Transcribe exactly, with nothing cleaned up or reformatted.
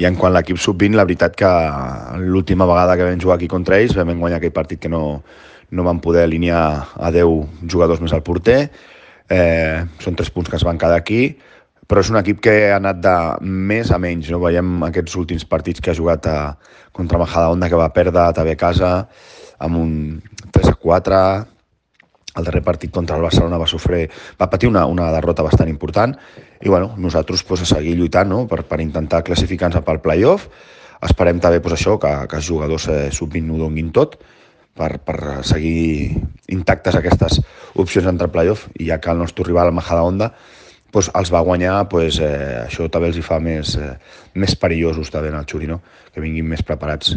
I en quant a l'equip sub vint, la veritat que l'última vegada que vam jugar aquí contra ells vam guanyar aquell partit que no, no vam poder alinear a deu jugadors més al porter. Eh, són tres punts que es van quedar aquí, però és un equip que ha anat de més a menys, no? Veiem aquests últims partits que ha jugat a, contra Majadahonda, que va perdre també a casa amb un tres a quatre. El darrer partit contra el Barcelona va sofrir, va patir una, una derrota bastant important, i bueno, nosaltres pues, a seguir lluitant, no? per, per intentar classificar-nos pel play-off. Esperem també pues, això, que, que els jugadors eh, sub vint ho donguin tot per, per seguir intactes aquestes opcions entre el play-off, i ja que el nostre rival, el Majadahonda, pues, els va guanyar, pues, eh, això també els hi fa més, eh, més perillosos també en el Xuri, no? Que vinguin més preparats.